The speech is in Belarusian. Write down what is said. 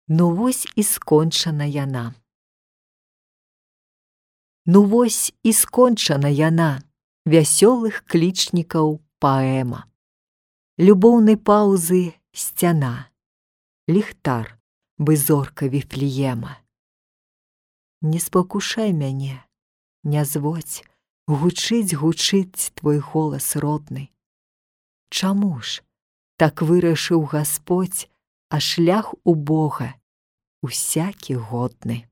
Ну вось і скончана яна. Ну вось і скончана яна, вясёлых клічнікаў паэма. Любоўнай паўзы сцяна, ліхтар, бы зорка Віфлеема. Не спакушай мяне, не зводзь, гучыць твой голас родны. Чаму ж так вырашыў Гасподзь, а шлях у Бога усякі годны?